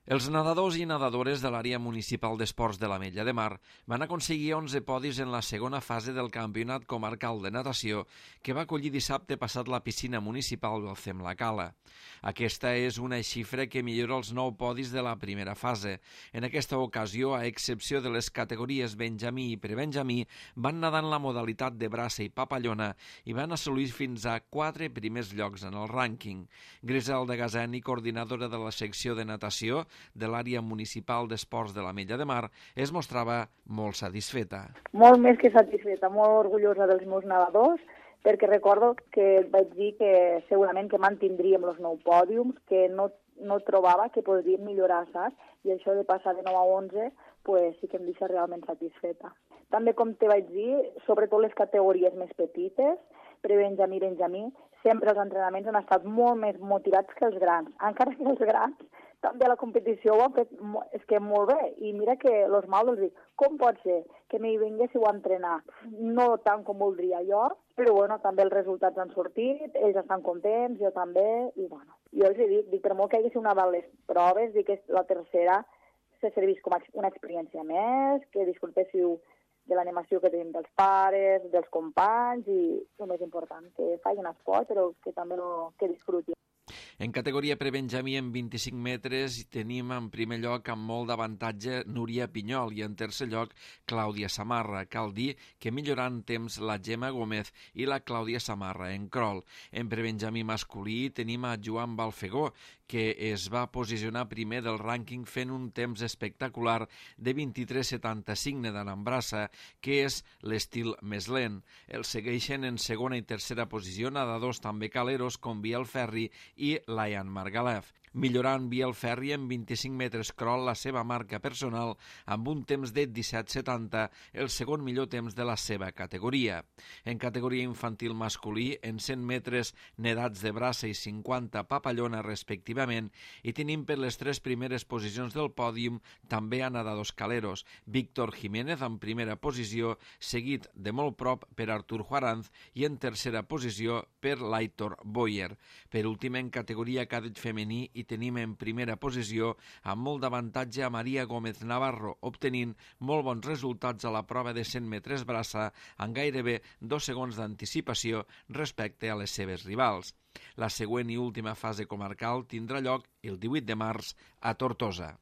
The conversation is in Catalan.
Els nedadors i nedadores de l'àrea municipal d'esports de l'Ametlla de Mar van aconseguir 11 podis en la segona fase del Campionat Comarcal de Natació que va acollir dissabte passat la piscina municipal del Cem la Cala. Aquesta és una xifra que millora els 9 podis de la primera fase. En aquesta ocasió, a excepció de les categories Benjamí i Prebenjamí, van nedar en la modalitat de braça i papallona i van assolir fins a 4 primers llocs en el rànquing. Griselda Gazeni, coordinadora de la secció de natació de l'àrea municipal d'esports de l'Ametlla de Mar, es mostrava molt satisfeta. Molt més que satisfeta, molt orgullosa dels meus nedadors, perquè recordo que vaig dir que segurament que mantindríem els 9 pòdiums, que no trobava que podríem millorar, saps? I això de passar de 9 a 11 pues, sí que em deixa realment satisfeta. També, com te vaig dir, sobretot les categories més petites, Prebenjamí i Benjamí, sempre els entrenaments han estat molt més motivats que els grans. Encara que els grans també a la competició ho han fet molt bé. I mira que els mals els dic, com pot ser que no hi vinguéssiu a entrenar? No tant com voldria jo, però bueno, també els resultats han sortit, ells estan contents, jo també, i bueno. Jo els dic, per molt que hi hagués una de les proves, dic que la tercera se servís com una experiència més, que disfrutéssiu de l'animació que tenim dels pares, dels companys, i el més important, que facin esport, però que també que disfrutin. En categoria Prebenjamí, en 25 metres, tenim en primer lloc amb molt d'avantatge Núria Pinyol i en tercer lloc Clàudia Samarra. Cal dir que millorant temps la Gemma Gómez i la Clàudia Samarra en crawl. En Prebenjamí masculí tenim a Joan Balfegó, que es va posicionar primer del rànquing fent un temps espectacular de 23,75 nedant en braça, que és l'estil més lent. El segueixen en segona i tercera posició nedadors també caleros com Biel Ferri i Layan Margalef, millorant Biel Ferri en 25 metres crawl la seva marca personal amb un temps de 17,70, el segon millor temps de la seva categoria. En categoria infantil masculí, en 100 metres nedats de braça i 50 papallona respectivament, i tenim per les 3 primeres posicions del pòdium també a nedadors caleros, Víctor Jiménez en primera posició, seguit de molt prop per Artur Juaranz i en tercera posició per l'Aitor Boyer. Per últim, en categoria cadet femení i tenim en primera posició amb molt d'avantatge a Maria Gómez Navarro, obtenint molt bons resultats a la prova de 100 metres braça amb gairebé 2 segons d'anticipació respecte a les seves rivals. La següent i última fase comarcal tindrà lloc el 18 de març a Tortosa.